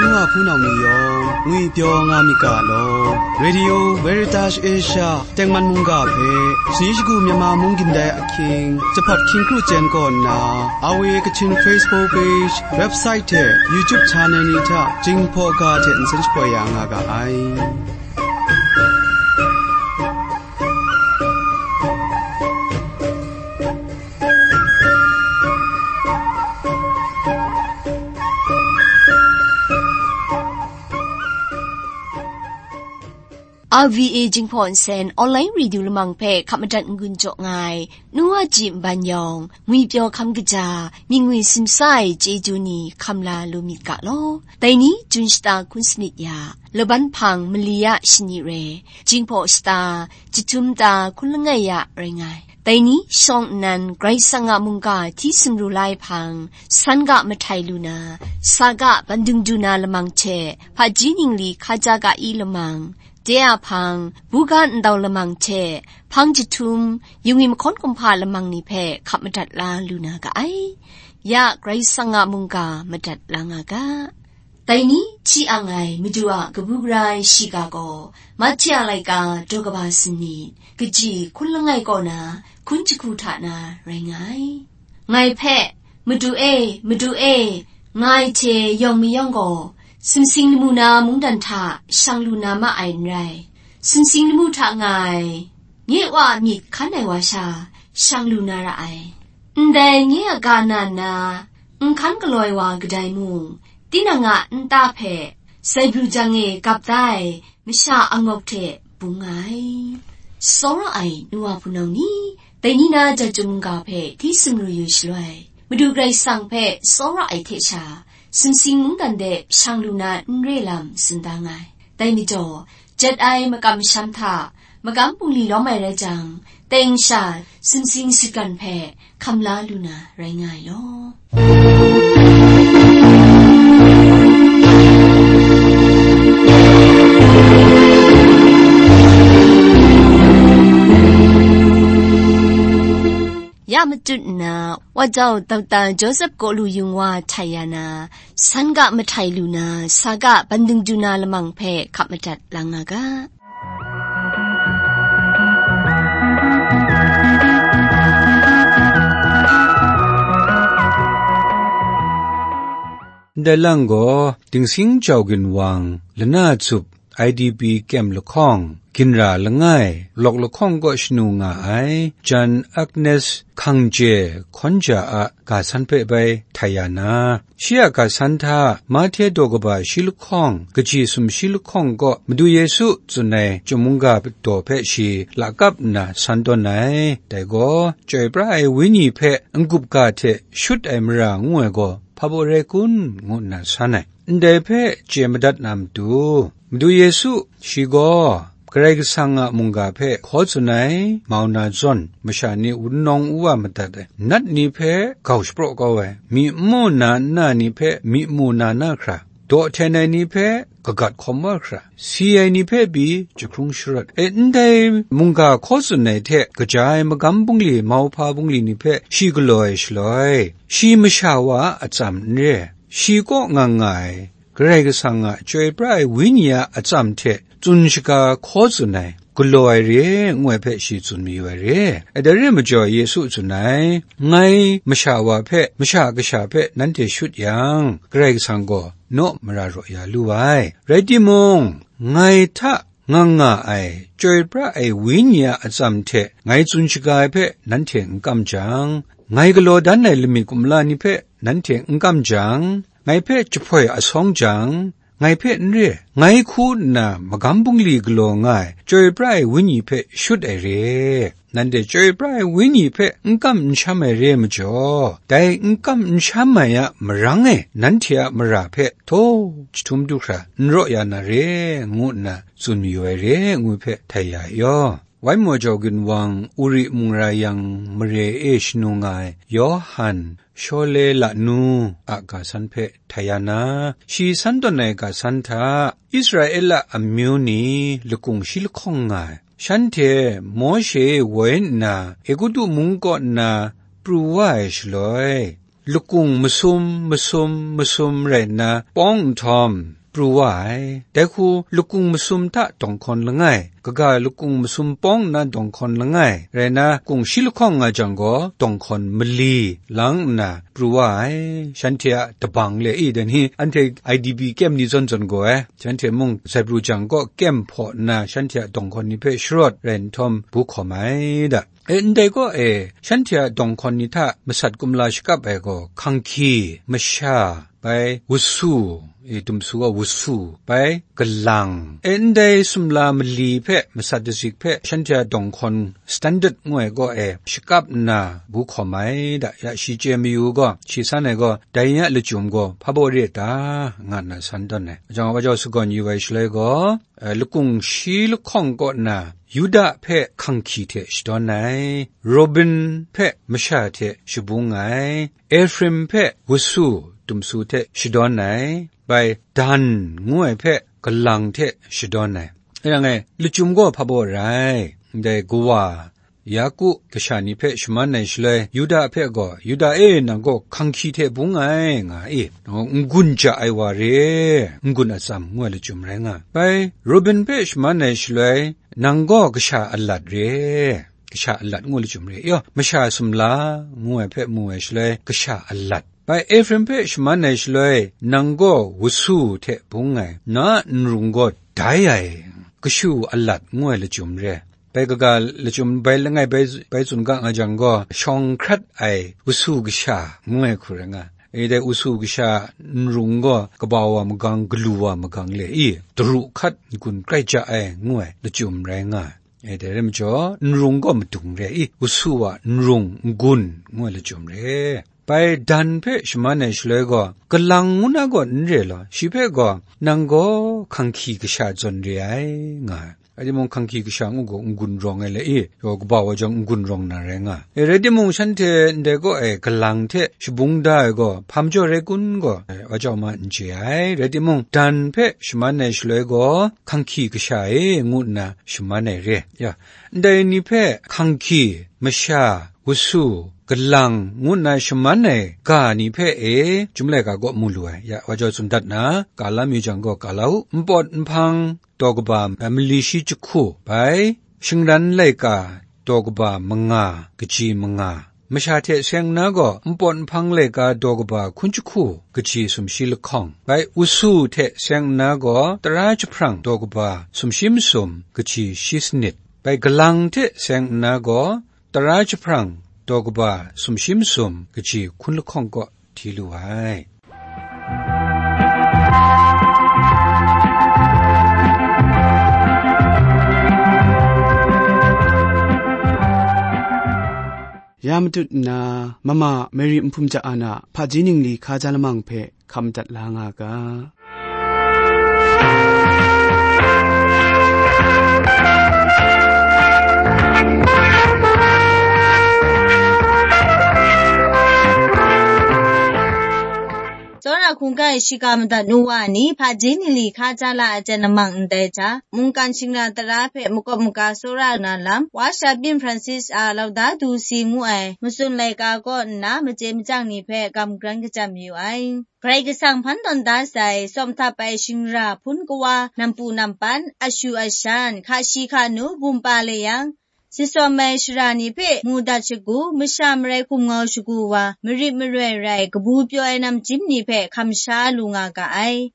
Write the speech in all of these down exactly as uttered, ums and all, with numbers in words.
N wa hpunau ni yawng ngwipyaw nga myit ga law, Radio Veritas Asia tengman mungga hpe, Sani Shagu Myanmar Mung Gindai Ahkying, Jahpawt Hkying Kru Jen kaw nna, R V A Kachin Facebook page, website hte YouTube channel ni hta Jinghpaw ga hte nsen shapoi ya nga ga ai. R V A Jinghpaw Nsen Online Radio Lamang hpe hkap madat n-gun jaw nga ai, nu wa ji nban yawng, ngwipyaw hkam kaja, myit ngwi simsa ai chyeju ni hkam la lu myit ga law. Dai ni, Jun shata hkun sanit ya, Laban hpang mali ya shani re, Jinghpaw shata, jahtum ta hkun langai ya rai nga ai. Dai ni shawng nnan Karai Kasang a mungga hti sumru la ai hpang, san ga mahtai lu na, sa ga bandung du na lamang hte, hpaji ningli hkaja ga i lamang, de a hpang, buga ndau lamang hte, hpang jahtum, yungwi mahkawn kumhpa lamang ni hpe hkap madat la lu na ga ai. Ya Karai Kasang a mungga madat la nga ga. Dai ni hti ang ai Madu a kabu gara ai shiga gaw, Mahti a laika daw kaba sanit, kaji hkun langai kaw na, hkun jahku hta na rai nga ai. Ngai hpe, "Madu e, Madu e," nga ai hte yawng mayawng gaw, sumsing lamu na mungdan hta shang lu na ma ai n rai, sumsing lamu hta nga ai, nye Wa a myit hkan ai wa sha shang lu na ra ai. Ndai nye a ga na nna, n hkan galaw ai wa kadai mung, tinang a nta hpe zaibru jang e gap da ai masha angawk hte bung nga ai. Tsawra ai nu wa hpunau ni, dai ni na jat chyum mungga hpe hti sumru yu shaloi, Madu Karai Kasang hpe tsawra ai hte sha, sumsing mungdan de shang lu na n re lam tsun da nga ai. Dai majaw, jat ai makam masham hta, magam bungli lawm ai rai jang, teng sha sumsing sutgan hpe hkam la lu na rai nga ai law. Ya matut nna, Wa jau Doctor Joseph Kawlu Yung wa htai ya na, san ga mahtai lu na, sa ga bandung du na lamang hpe hkap madat la nga ga. Ndai lang gaw, Dingsing Jau Ginwang, Lana Tsup, I D P kyem lahkawng, ginra langai, lawk lahkawng kaw shanu nga ai, Jan Agnes Hkangje Hkawnja a ga san hpe bai htai ya na, shi a ga san hta Mahte daw kaba shi lahkawng, kaji sumshi lahkawng kaw Madu Yesu tsun ai chyum mungga daw hpe shi lakap nna san tawn ai. Dai gaw, chyoi pra ai Wenyi hpe n-gup ga hte shut ai mara ngu ai gaw, hpa baw rai kun? Ngu nna san ai. Ndai hpe chye madat na matu, Madu Yesu, shi gaw Karai Kasang a mungga hpe hkaw tsun ai, mau na zawn, masha ni wunawng u wa madat ai, nat ni hpe gau shapraw kau ai, myi n mu na nna ni hpe myi mu na na hkra, daw hten ai ni hpe kagat hkawm wa hkra, si ai ni hpe pyi jahkrung sharawt. E, ndai mungga hkaw tsun ai hte kaja ai magam bungli, mauhpa bungli ni hpe shi galaw ai shaloi, shi masha wa a atsam n re, shi kaw nga nga ai, Karai Kasang a chyoi pra ai Wenyi a atsam hte tsun shaga hkaw tsun ai, galaw ai re, ngu ai hpe shi tsun mayu ai re. Dai re ai majaw, Yesu tsun ai, "Ngai masha wa hpe, masha kasha hpe nanhte shut yang, Karai Kasang gaw naw mara raw ya lu ai. Rai timung, ngai hta nga nga ai, chyoi pra ai Wenyi a atsam hte ngai tsun shaga ai hpe nanhte n kam jang, ngai galaw dan ai lamik kumla ni hpe nanhte n kam jang, ngai hpe jahpoi asawng jang, ngai hpe n re, ngai hku nna magam bungli galaw nga ai, chyoi pra ai Wenyi hpe shut ai re. Nanhte chyoi pra ai Wenyi hpe n kam n sham ai re ai majaw, dai n kam n sham ai a marang e nanhte a mara hpe htaw jahtum du hkra n raw ya na re," ngu nna tsun mayu ai re, ngu hpe htai ya ai yaw. Wai maw jau ginwang, Uri mung ra yang mare e shanu nga ai Yawhan Shawle Lanu a ga san hpe htai ya na, shi san tawn ai ga san hta, Israela amyu ni lakung shi lahkawng nga ai, shanhte Mawshe woi nna Egutu mung kaw nna pru wa ai shaloi, lakung masum, masum, masum rai nna pawng nhtawm, pru wa ai. Dai hku lakung masum hta dawng hkawn langai, kaga lakung masum pawng nna dawng hkawn langai, rai nna, kung shi lahkawng nga jang gaw, dawng hkawn mali lang nna pru wa ai. Shanhte a dabang le i, dan hi, anhte I D P kyem ni zawn zawn gaw ai, shanhte mung Zaibru jang kaw kyem hpaw nna, shanhte a dawng hkawn ni hpe sharawt rai nhtawm, bu hkawm ai da. E, ndai kaw e, shanhte a dawng hkawn ni hta masat kumla shakap ai gaw, hkanghki, masha, bai wusu, e, dumsu gaw wusu, bai galang, e, ndai sumla mali hpe, masat dazik hpe, shanhte a dawng hkawn standard ngu ai kaw e shakap nna bu hkawm ai da, ya shi chye mayu gaw, shi san ai gaw, dai ni a lachyum gaw hpa baw re ta, nga nna san tawn ai. Wa jang, wa jau sagawn yu ai shaloi gaw, eh, lakung shi lahkawng kaw na Yuda hpe hkanghki hte shadawn ai, Rubin hpe masha hte shabung ai, Efraim hpe wusu dumsu hte shadawn ai, bai Dan ngu ai hpe galang hte shadawn ai. E yang e, lachyum gaw hpa baw rai, ndai kawa Yaku kasha ni hpe shaman ai shaloi, Yuda hpe gaw, "Yuda e, nang gaw hkanghki hte bung ai," nga i, "N-gun ja ai wa re, n-gun atsam," ngu ai lachyum rai nga. Bai, Rubin hpe shaman ai shaloi, "Nang gaw kasha alat re, kasha alat," ngu ai lachyum re. Yaw, masha sumla ngu ai hpe mu ai shaloi, kasha alat. Bai, Efraim hpe shaman ai shaloi, "Nang gaw wusu hte bung ai, na nrung gaw dai ai, kashu alat," ngu ai lachyum re. Bai kaga lachyum bai langai bai, bai tsun ga nga jang gaw, shawng hkrat ai wusu kasha ngu ai hku rai nga. E dai wusu kasha nrung gaw kaba wa magang, galu wa magang le i, daru hkat n-gun grai ja ai ngu ai lachyum rai nga. E dai rai majaw, nrung gaw madung re i, wusu wa nrung n-gun ngu ai lachyum re. Bai Dan hpe shaman ai shaloi gaw, kalang ngu na gaw n re law, shi hpe gaw, "Nang gaw hkanghki kasha zawn re ai," nga ai. Rai timung, hkanghki kasha ngu gaw n-gun rawng ai le i, yaw kaba wa jawng n-gun rawng na rai nga. E, rai timung, shanhte ndai kaw e galang hte shabung da ai gaw, hpa majaw rai kun gaw, e, wa jau ma n chye ai. Rai timung, Dan hpe shaman ai shaloi gaw, "Hkanghki kasha e," ngu nna shaman ai re. Ya, ndai ni hpe hkanghki, masha, wusu, galang, ngu nna shaman ai ga ni hpe e, Chyum laika kaw mu lu ai. Ya, wa jau tsun dat na, ga la mi jang gaw, ga la u. Npawt nhpang daw kaba, mali shi jahku bai, shingran laika daw kaba manga, kaji manga. Masha hte seng nna gaw, npawt nhpang laika daw kaba hkun jahku, kaji sumshi lahkawng. Bai, wusu hte seng nna gaw, tara jahprang daw kaba sumshi masum, kaji shi sanit. Bai, galang hte seng nna gaw, tara jahprang daw kaba sumshi masum, kaji hkun lahkawng kaw hti lu ai. Ya matut nna, mama Mary Nhpum Ja An a hpaji ningli hkaja lamang hpe hkam dat la nga ga. Tsawra hkungga e shiga madat nu wa ni, hpaji ningli hkaja la ai jan lamang ndai hta, mungkan shingra tara hpe makawp maga tsawra na lam, Wa sha byin Francis a Laudato Si ngu ai matsun laika kaw nna, machye machyang ni hpe kamgran kachyam mayu ai. Karai Kasang hpan tawn da sai, sawm htap ai shingra hpun kawa, nampu nampan, ashu ashan, hka shi hka nu, bum pa le yang, sitsawm ai shara ni hpe mu dat shagu, masha marai hkum ngau shagu wa, marit maroi rai, kabu pyaw ai namjim ni hpe hkam sha lu nga ga ai.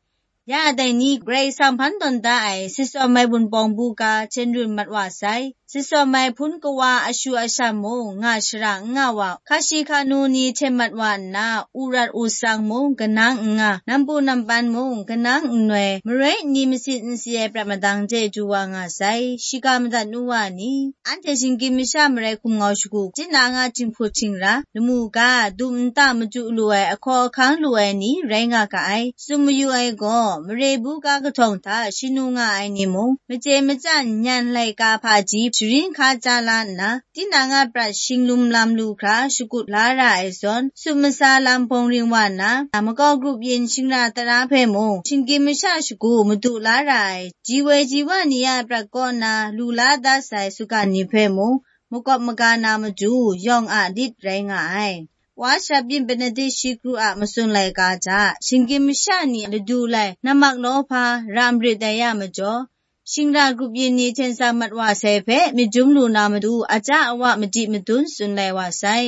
Ya dai ni, Karai Kasang hpan tawn da ai, sitsawm ai Wunpawng bu ga, hten run mat wa sai. Sitsawm ai hpun kawa ashu ashan mung, nga shara n nga wa, hka shi hka nu ni hten mat wa nna, u rat u sang mung, kanang n nga, nampu nampan mung, kanang n noi, marai nni masit n si ai prat madang de du wa nga sai, shiga madat nu wa ni, anhte shinggyim masha marai hkum ngau shagu, tinang a jinghput shingra, lamu ga, dum nta machyu lu ai, ahkaw ahkang lu ai ni, rai nga ga ai. Tsun mayu ai gaw, mare bu ga kahtawng hta shanu nga ai ni mung, machye machyang nyan laika hpaji sharin hkaja la nna, tinang a prat shinglum lam lu hkra shakut la ra ai zawn, sut masa lam bawng ring wa nna, makau grup yin shingra tara hpe mung, shinggyim masha shagu madu la ra ai, ji woi ji wa ni a prat kaw na lu la dat sai sugan ni hpe mung, makawp maga na matu yawng a lit rai nga ai. Wa Shabyin Benedict shi kru a matsun laika hta, shinggyim masha ni ladu lai nammak nawhpa ra marit ai ya majaw, shingra grup yin ni hten sa mat wa sai hpe myit dum lu na matu, aja awa madi madun tsun lai wa sai.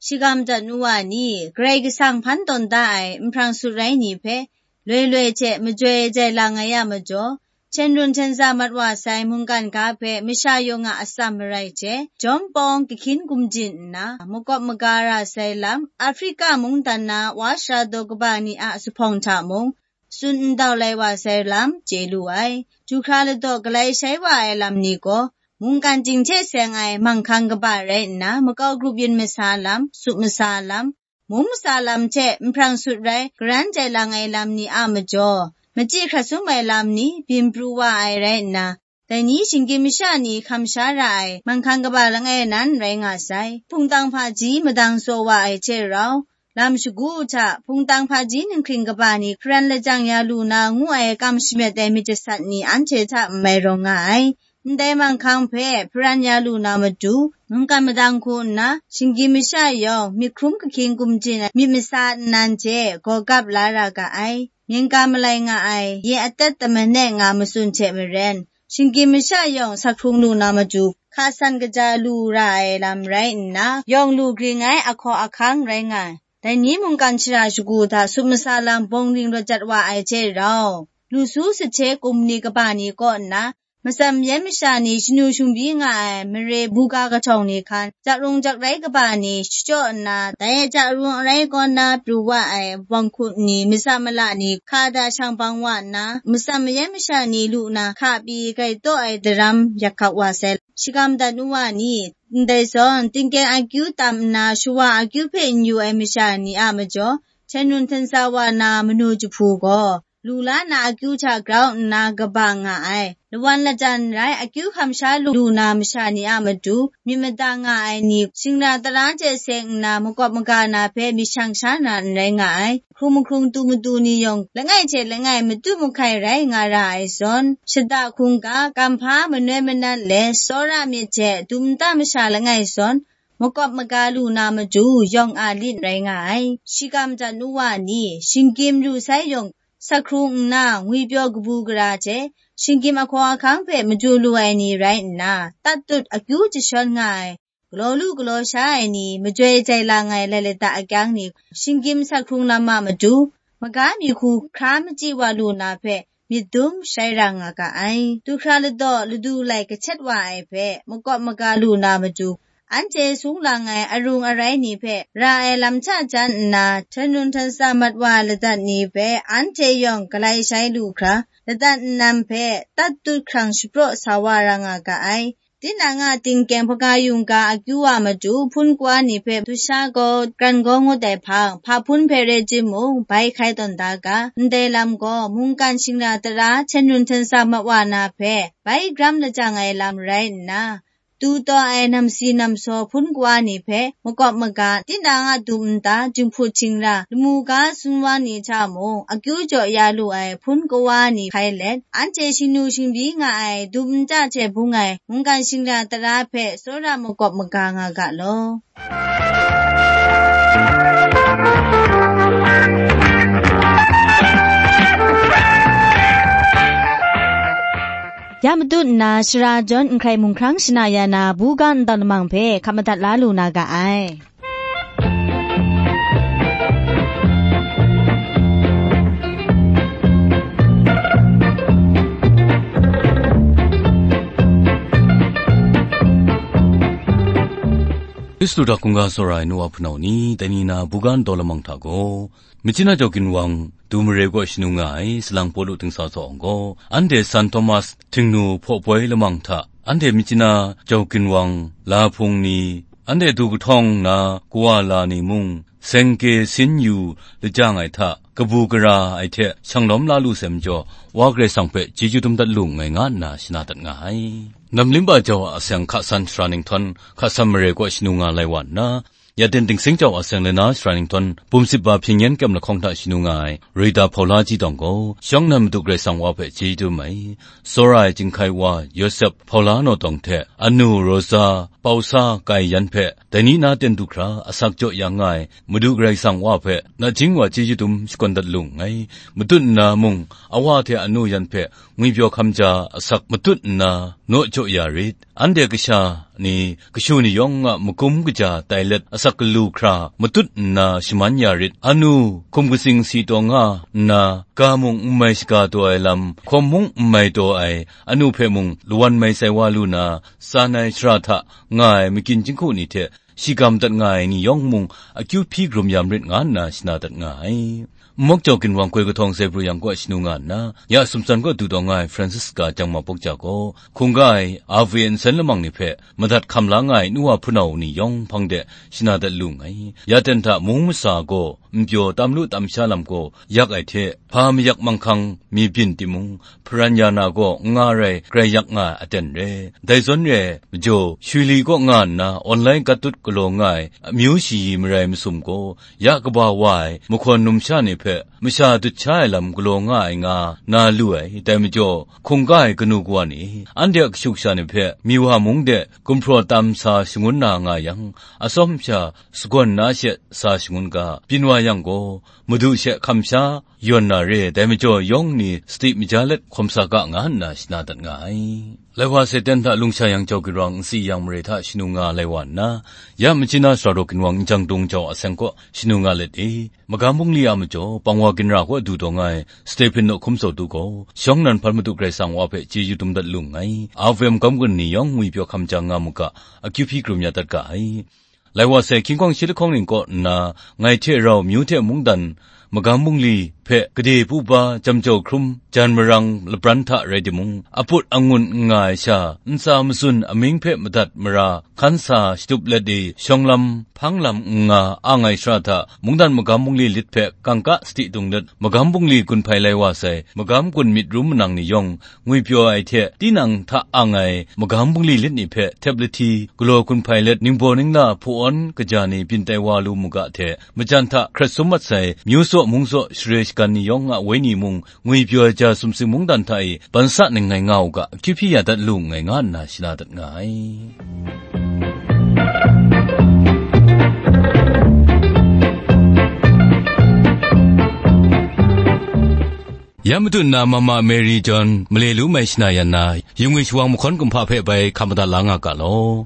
Shigam dat nu wa ni, Karai Kasang hpan tawn da ai nhprang sut rai ni hpe, loi loi hte majoi jai lang ai ya majaw, hten run hten sa mat wa sai mungkan ga hpe masha yawng a atsam marai hte, jawm pawng kahkyin gumjin nna, makawp maga ra sai lam, Afrika mungdan na wa sara daw kaba ni a zuphpawng hta mung, tsun ndau lai wa sai lam chye lu ai. Du hkra ladaw galai shai wa ai lam ni gaw, mungkan ting hte seng ai manghkang kaba rai nna, makau grup yin masa lam, sup masa lam, mung masa lam hte nhprang sut rai garan jai lang ai lam ni a majaw, machyi hkrat sum ai lam ni byin pru wa ai rai nna, dai ni shinggyim masha ni hkam sha ra ai manghkang kaba langai nan rai nga sai. Hpungtang hpaji madang tsaw wa ai hte rau, lam shagu hta hpungtang hpaji ninghkring kaba ni hparan lajang ya lu na ngu ai kam shamyet ai myit jasat ni anhte hta n mai rawng nga ai. Ndai manghkang hpe hparan ya lu na matu, mungkan madang hku nna, shinggyim masha yawng myit hkrum kahkyin gumjin ai myit masa nnan hte gaw gap la ra ga ai. Myen ga malai nga ai, ye atet tamane nga matsun hte maren, shinggyim masha yawng sak hkrung lu na matu, hka san kaja lu ra ai lam rai nna, yawng lu gring ai ahkaw ahkang rai nga ai. Dai ni mungkan shara shagu hta sup masa lam bawng ring rawt jat wa ai hte rau, lu su sahte kum ni kaba ni kaw nna, matsam yan masha ni shanu shangbyi nga ai mare buga kahtawng ni hkan, jak rung jak rai kaba ni shachyaw nna, dai a jak rung arai kaw na pru wa ai wang hku ni, masa mala ni hka da shang bang wa nna, matsam yan masha ni lu na hka pyi gai taw ai daram yak hkap wa sai. Shagam dat nu wa ni, ndai zawn, tingkyeng akyu tam nna, shawa akyu hpe n yu ai masha ni a majaw, hten run hten sa wa na manu jahpu gaw, lu la na akyu hta grau nna kaba nga ai. Lawan lajan rai akyu hkam sha lu, lu na masha ni a matu, myit mada nga ai ni, shingra tara hte seng nna makawp maga na hpe myit shang sha na n rai nga ai. Hkrung mahkrung tu matu ni yawng, langai hte langai matu mahkai rai nga ra ai zawn, shada hkungga, kamhpa manoi manat let, tsawra myit hte dum nta masha langai zawn, makawp maga lu na matu, yawng a lit rai nga ai. Shagam dat nu wa ni, shinggyim lu sai yawng, sak hkrung nna, ngwipyaw kabu gara hte, shinggyim ahkaw ahkang hpe madu lu ai ni rai nna, tat tut akyu jashawn nga ai, galaw lu galaw sha ai ni, majoi jai lang ai lai lata akyang ni, shinggyim sak hkrung lam a matu, maga mi hku hkra machyi wa lu na hpe, myit dum shai ra nga ga ai. Du hkra ladaw ladu lai kahtet wa ai hpe, makawp maga lu na matu, anhte sung lang ai arung arai ni hpe ra ai lam hta jan nna, hten run hten sa mat wa ladat ni hpe, anhte yawng galai shai lu hkra, ladat nnan hpe tat tut hkrang shapraw sa wa ra nga ga ai. Tinang a tingkyeng hpaga yungga akyu a matu, hpun kawa ni hpe dusha gaw, kran gaw ngut ai hpang, hpa hpun hpe rai timung, bai hkai tawn da ga, ndai lam gaw, mungkan shingra tara hten run hten sa mat wa na hpe, bai gram lajang ai lam rai nna, tu taw ai namsi namsaw hpun kawa ni hpe makawp maga, tinang a dum nta, jinghput htingra, lamu ga sun wa ni hta mung, akyu jaw ya lu ai hpun kawa ni hkai let, anhte shingnu shingbyi nga ai dum nta hte bung ai mungkan shingra tara hpe tsawra makawp maga nga ga law. Ya matut nna, shara jawn nhkrai mung hkrang shana ya na, buga ntawn lamang hpe hkap madat la lu na ga ai. Kristu hta hkungga tsawra ai nu wa hpunau ni, dai ni na buga ntawn lamang hta gaw, Myitkyina Jau Ginwang, Du Mare kaw shanu nga ai, salang Pawlu dingsa tsaw gaw, anhte San Thomas Htingnu hpaw poi lamang hta, anhte Myitkyina Jau Ginwang la hpung ni, anhte du kahtawng na kawa la ni mung, seng ke sin yu lajang ai hta, kabu gara ai hte shanglawm la lu sai majaw, Wa Karai Kasang hpe chyeju dum dat lu nngai nga nna shana dat nga ai. Nam Limba Jau a aseng hka san shara ninghtawn, hka san mare kaw shanu nga lai wa nna, Yaden Dingsing Jau a aseng lana shara ninghtawn, bum sip ba hpyen yen kyem lahkawng hta shanu nga ai, Rita Hpaula Ji Tawng gaw, shawng nnan Madu Karai Kasang Wa hpe chyeju dum ai, tsawra ai Chyinghkai Wa Yawsep Hpaula Naw Tawng hte, anu Rosa pau sa kai yan hpe, dai ni na ten du hkra asak jaw yang nga ai Madu Karai Kasang Wa hpe nachying wa chyeju dum shakawn dat lu nngai. Matut nna mung, awa hte anu yan hpe ngwipyaw hkam ja asak matut nna naw jaw ya rit. Anhte kasha ni, kashu ni yawng a magum kaja tai let asak galu hkra matut nna shaman ya rit. Anu hkum katsing si taw nga nna, ga mung n mai shaga taw ai lam, hkawm mung n mai taw ai, anu hpe mung lawan mai sai wa lu na, tsan ai shara hta nga ai makyin jinghku ni hte, shigam dat nga ai ni yawng mung akyu hpyi karum ya marit nga nna shana dat nga ai. Nmawk jau ginwang koi kahtawng Zebru yang kaw shanu nga nna, ya sumtsan kaw du taw nga ai Francisca Jangma Pawkja gaw, hkungga ai R V A nsen lamang ni hpe madat hkam la nga ai nu wa hpunau ni yawng hpang de shana dat lu nngai. Ya ten hta mung masa gaw npyaw tam lu tam sha lam gaw yak ai hte, hpa mayak manghkang mi byin timung, hparan ya na gaw n nga rai, grai yak nga ai aten re. Dai zawn re ai majaw, Shwili kaw nga nna online gat dut galaw nga ai amyu shayi marai masum gaw, ya kaba wa ai mahkawn numsha ni hpe masha dut sha ai lam galaw nga ai nga na lu ai. Dai majaw, hkungga ai kanu kawa ni, anhte a kashu kasha ni hpe mi wa mung de gumhpraw tam sa shangun na nga yang, atsawm sha sagawn na she sa shangun ga, byin wa yang gaw, Madu she hkam sha yawn na re ai, dai majaw yawng ni sadi maja let hkawm sa ga nga nna shana dat nga ai. Lai wa sai ten hta lungsha yang jau ginwang nsi yang mare hta shanu nga lai wa nna, ya Machina Sara Daw ginwang n jang dung jau aseng kaw shanu nga let e. Magam bungli a majaw, pangwa ginra kaw du taw nga ai Stephen naw hkum tsawt du gaw, shawng nan hpan Madu Karai Kasang Wa hpe chyeju dum dat lu nngai. R V M magam gun ni yawng ngwipyaw hkam ja nga mu ga, akyu hpyi karum ya dat ga ai. Lai wa sai, hkying hkawng shi lahkawng ning kaw nna, ngai hte rau myu hte mungdan, magam bungli hpe gade pu ba, jam jau hkrum, jan marang lapran hta rai timung, aput angun n nga ai sha, ntsa matsun amying hpe madat mara, hkan sa shatup let i, shawng lam, hpang lam n nga, ang ai shara hta, mungdan magam bungli lit hpe kangka sadi dung let, magam bungli gun hpai lai wa sai, magam gun myit rum manang ni yawng, ngwipyaw ai hte tinang hta ang ai magam bungli lit ni hpe htep lahti, galaw gun hpai let, ningbaw ningla hpaw awn kaja ni byin tai wa lu mu ga hte, majan hta hkrat sum mat sai, myu tsaw mung tsaw share shagan ni yawng a wenyi mung, ngwipyaw ai ja sumsing mungdan hta e ban sa ning ngai nga u ga, akyu hpyi ya dat lu nngai nga nna shana dat nga ai. Ya matu nna Mama Mary John male lu mai shana yan na, yu ngwi shawang mahkawn kumhpa hpe bai hkam madat la nga ga law.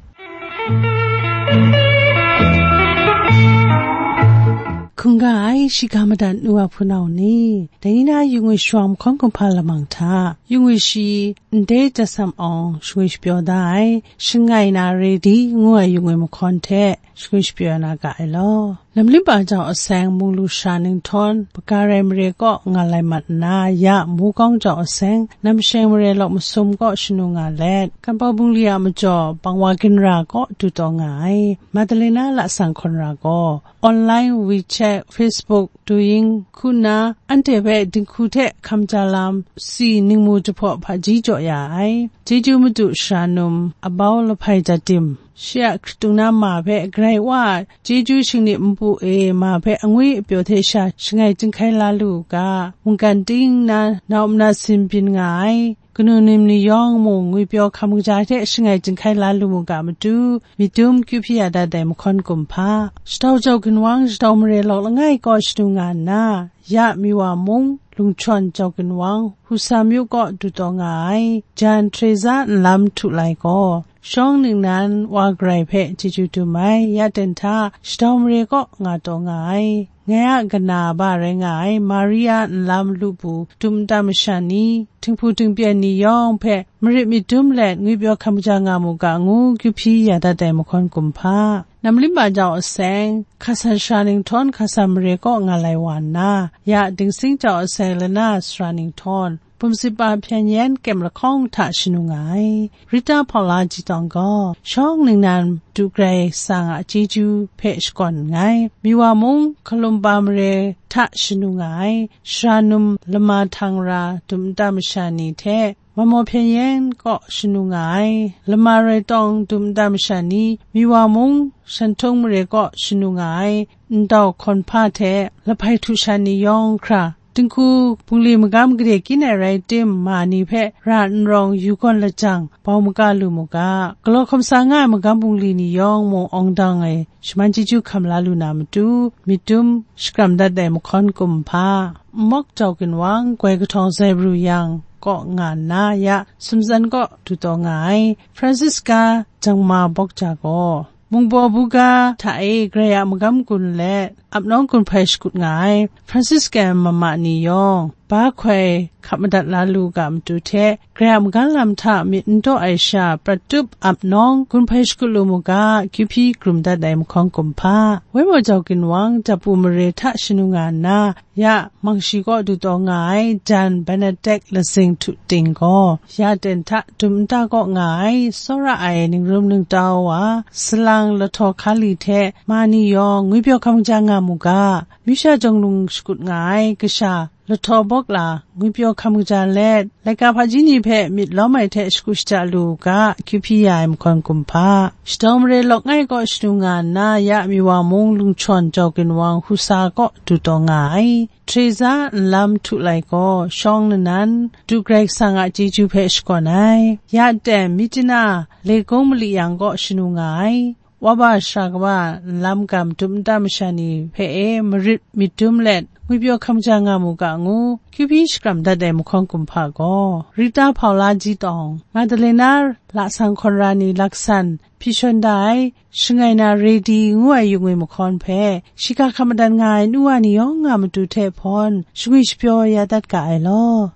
Hkungga ai shiga madat nu a hpunau ni, dai ni na yu ngwi shawang mahkawn kumhpa lamang hta, yu ngwi shi ndai jasam awng shangwi shapyaw da ai, shangai na re di ngu ai yu ngwi mahkawn hte, shangwi shapyaw na ga ai law. Namlimba jau aseng munglu sha ninghtawng, Bagarai mare kaw nga lai mat nna, ya Mukawng jau aseng, Namsheng mare lawk masum kaw shanu nga let, Kanpawng bungli a majaw, Bangwa ginra kaw du taw nga ai, Madalena Lasang Hkawnra gaw, online, WeChat, Facebook, Douyin, hku nna, anhte hpe dinghku hte hkam ja lam, si ningmu jahpaw hpaji jaw ya ai, Chyeju Madu Sara Num, Abau Lahpai Jatim, shi a hkritung na ma hpe Karai Wa a chyeju shingnip npu e ma hpe angwi apyaw hte sha shangai chyinghkai la lu u ga, mungkan ting nna nau nna sin byin nga ai, kanu nim ni yawng mung ngwipyaw hkam kaja hte shangai chyinghkai la lu mu ga matu, myit dum kyu hpyi ya dat ai mahkawn kumhpa, shadau jau ginwang shadau mare lawk langai kaw shadu nga nna, ya Miwa mung, Lungchawn jau ginwang, Husa myu kaw du taw nga ai, Jan Teresa nlam htu lai gaw, shawng ningnan wa Karai hpe chyeju dum ai, ya ten hta, shadau mare kaw nga taw nga ai, ngai a kana ba rai nga ai, Maria nlam lupu, dum nta masha ni, tinghpu tingpyen ni yawng hpe, marit myit dum let, ngwipyaw hkam ja nga mu ga ngu, kyu hpyi ya dat ai mahkawn kumhpa. Namlimba jau aseng, Hkasan sara ninghtawng Hkasan mare kaw nga lai wa nna, ya Dingsing jau aseng lana sara ninghtawng, Bumsipa hpyen yen kyem lahkawng hta shanu nga ai. Rita Paula Jitawng gaw, shawng ningnan du grai sa nga chyeju hpe shakawn nngai. Miwa mung, Hkalumba mare hta shanu nga ai. Sara num lama htang ra dum nta masha ni hte, Mamaw hpyen yen kaw shanu nga ai, lama rai tawng dum nta masha ni, Miwa mung, Shanhtung mare kaw shanu nga ai, ndau hkawn hpa hte, lahpai htu sha ni yawng hkra, Dinghku bungli magam gade kyin ai rai tim, ma ni hpe ra n rawng yu gawn lajang, bau maga lu mu ga. Galaw hkawm sa nga ai magam bungli ni yawng mung awng dang e, shaman chyeju hkam la lu na matu, myit dum shakram dat ai mahkawn kumhpa, Nmawk Jau Ginwang, Goi Kahtawng Zai Baru Yang kaw nga nna, ya Sumzan kaw du taw nga ai, Francisca Jangma Bawkja gaw, Mungbaw buga hta e Karai a magam gun let, ap nawng gun hpai shakut nga ai Franciscan mama ni yawng, ba hkoi hkap madat la lu ga matu hte, Karai a magam lam hta myit n taw ai sha prat tup ap nawng gun hpai shakut lu mu ga, Q P grum dat ai mahkawn kumhpa, Waimaw Jau Ginwang, Dapu mare hta shanu nga nna, ya Mangshi kaw du taw nga ai Jan Benedict Lazing Htu Ting gaw, ya ten hta dum nta kaw nga ai, tsawra ai ningrum ningtau wa, salang lahtaw hkali hte ma ni yawng ngwipyaw hkam ja nga mu ga, Misha Jawng Lung shakut nga ai kasha lahtaw bawk la, ngwipyaw hkam kaja let, laika hpaji ni hpe myit lawm ai hte shagu shaja lu u ga, Q P ya ai mahkawn kumhpa. Shadawng mare lawk ngai kaw shanu nga nna, ya Miwa mung Lungchawn Jau Ginwang Husa kaw du taw nga ai, Teresa Nlam Htu Lai gaw, shawng lanan, du Karai Kasang a chyeju hpe shakawn ai, ya ten Mityana Legung Mali Yang kaw shanu nga ai, Waba shara kaba nlam gam dum nta masha ni hpe e marit myit dum let, ngwipyaw hkam ja nga mu ga ngu, Q P shakram dat ai mahkawn kumhpa gaw, Rita Paula Ji Tawng, Madalena Lasang Hkawn Ra Ni Laksan hpyi shawn da ai, Shangai Na Redi ngu ai yung e mahkawn hpe, shiga hkam madan nga ai nu wa ni yawng a matu hte hpawn, shangwi shapyaw ya dat ga ai law.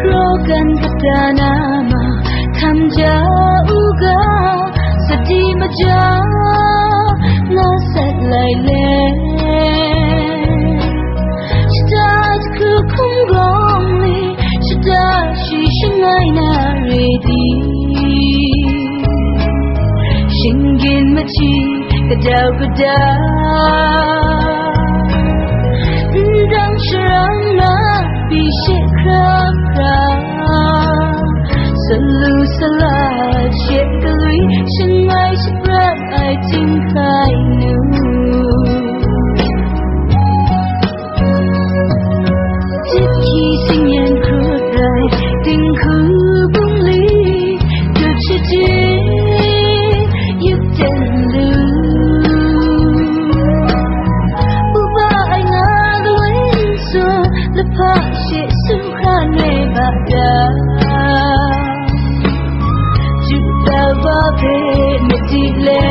Rogan katana ma tham ja u ga, sadi maja nga sat lai le. Shada jahku hkum gawng le, shada shi shangai na re di. Shinggyim machyi kadau kadau, ndang sharang na pyi she hkra hkra, salu sala she galwi shangai shaprat ai ting hkrai nu. Jip hkyi singyan hkrut rai, dinghku bungli dut shaje, yup ten lu. Uba ai nga lawin su, lahpa she sumhkra nai ba da. Juda wa hpe madi le,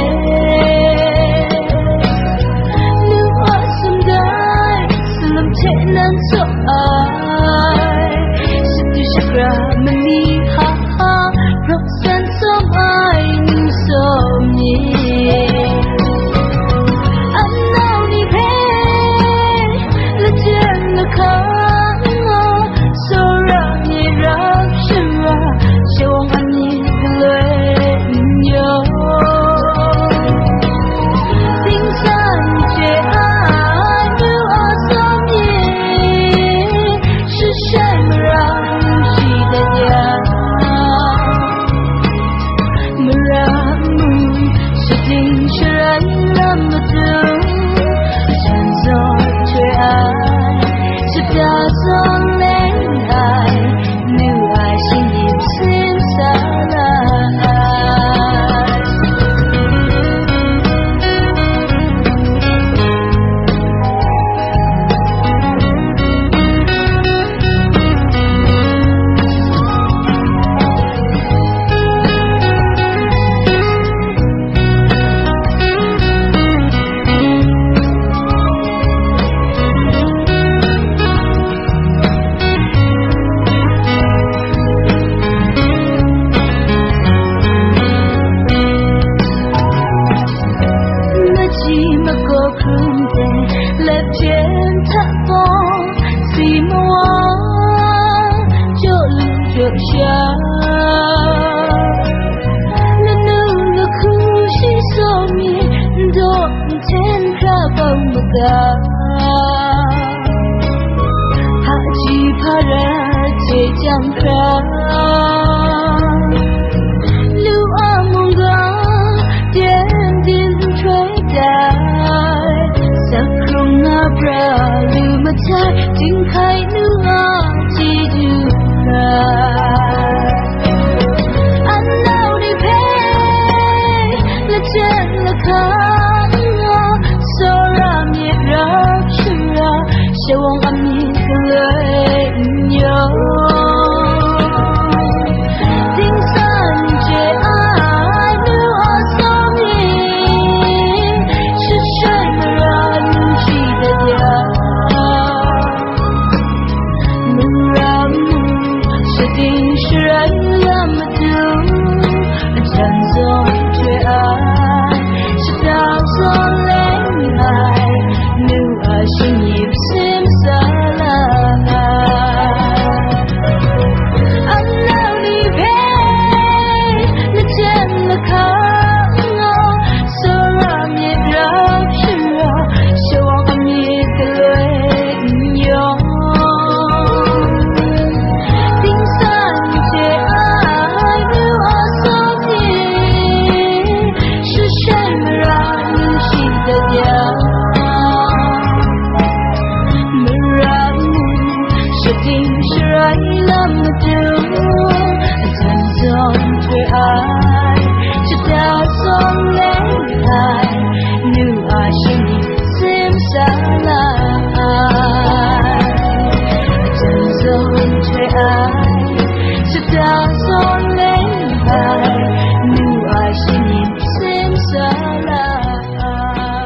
nu a sum dai, salam hte nan tsaw ai, shadu shagra mali ha ha, rawk san tsawm ai nu tsawm ni. Amnau ni hpe, lajan lahkang nga, tsawra ni rap shara, shawng ani galoi n yawng. Dingsan hte a nu a tsawm ni, shashai marang shi dat ya. Sha, lanu lahku shi sawm mi, ndaw nhten hkra bang maga. Hpaji hparat hte chyam hkra, lu a mungga teng din nhtoi tai, sak hkrung na pra lu matai, dinghkai nu a chyeju rai. Anau ni hpe lachyen lahkang nga, tsawra myit rap shara, shawng a myit galoi n yawng. Dingsan chye ai nu a tsawm ni, shashai mara n shi dat ya. Mara mu shading sharai lam matu, ajan zawn hte ai, shada zawn leng ai, nu a shinggyip sim sa la ai. Anau ni hpe lachyen lahkang nga, tsawra myit rap shara, shawng a myit galoi n yawng. Dingsan hte ai nu a tsawm ni, shashai mara n shi dat ya. Mara mu shading sharai lam matu, ajan zawn hte ai, shada zawn leng ai, nu a shinggyip sim sa la ai. Ajan zawn hte ai, shada zawn leng ai, nu a shinggyip sim sa la ai.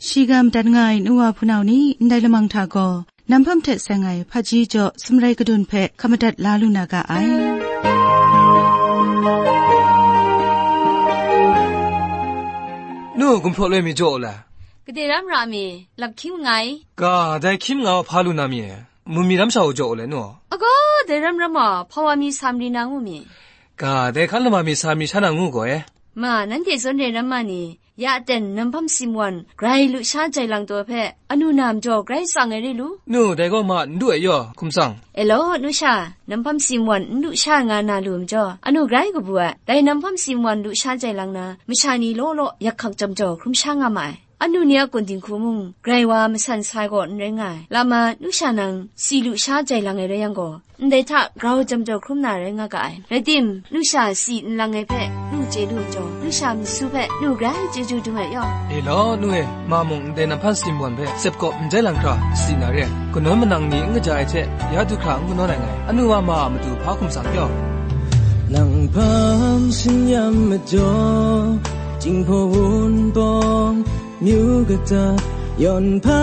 Shigam dat nga ai nu wa hpunau ni, ndai lamang hta gaw, Nam hpam hte seng ai hpaji jaw sumrai kadun hpe hkap madat la lu na ga ai. Nu, gumhpraw loi mi jaw u le? Gade ram ra mi, lap hkying nngai. Ga, dai hkying nga hpa lu na mi e? Mu mi ram sha u jaw u le, nu? Agaw, dai ram ram a, hpa wa mi sa mari na ngu mi? Ga, dai hkan lama mi sa mi sha na ngu gaw e? Ma, nanhte zawn re ram ma ni, ya ten nam hpam si mawan grai lusha jai lang taw hpe, anu na majaw grai tsang ai re lu? Nu, dai gaw ma n du ai yaw, hkum tsang. E law, nu sha, nam hpam si mawan n lusha nga na lu majaw, anu grai kabu ai. Dai nam hpam si mawan lusha jai lang na, masha ni law law yak hkak jam jaw hkrum sha nga ma ai. Anu ni a kun dinghku mung, grai wa masan sai gaw n rai nga ai. Lama, nu sha nang, si lusha jai lang ai rai yang gaw, ndai hta grau jam jaw hkrum na rai nga ga ai. Rai tim, nu sha si nlang ai hpe nu chye lu majaw, nu sha masu hpe nu grai chyeju dung ai yaw. E law, nu e, ma mung ndai nam hpam si mawan hpe sep kaw n jai lang hkra si na re ai. Kanawn manang ni n kaja ai hte, ya du hkra n kanawn ai ngai. Anu wa ma a matu hpa hkum tsang yaw. Nang hpam si n yam majaw, Jinghpaw Wunpawng, myu kata, yawn hpa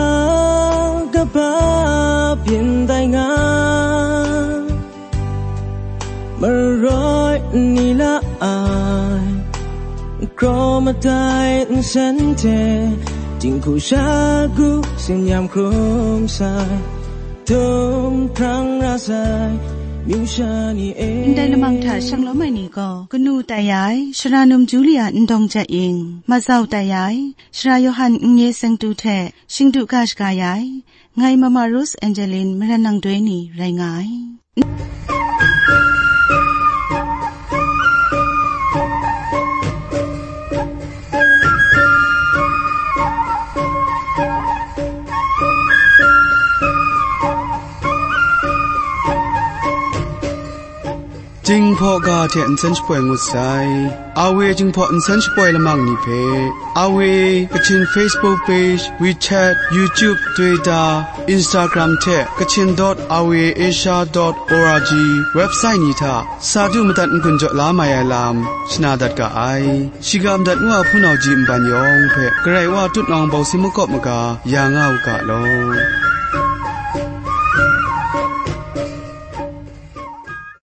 kaba byin tai nga, maroi n ni la ai, kraw matai nsen hte, dinghku shagu tsin yam hkrum sai, htum hprang ra sai, myu sha ni e. Ndai lamang hta shanglawm ai ni gaw, kanu tai ai, Sara Num Julia Ndawng Jat Ying, mazau tai ai, Sara Yawhan Nnye Sengtu hte shingdu ga shaga ya ai, ngai Mama Rose Angeline Maran Nang Doi ni rai nga ai. Jinghpaw ga hte nsen shapoi ngut sai. Awe Jinghpaw nsen shapoi lamang ni hpe, Awe Kachin Facebook page, WeChat, YouTube, Twitter, Instagram hte Kachin dot awe asia dot org website ni hta sa du madat n-gun jaw la mai ai lam shana dat ga ai. Shiga madat ngu a hpunau ji nban yawng hpe Karai Wa tutnawng bawsi makawp maga ya nga u ga law.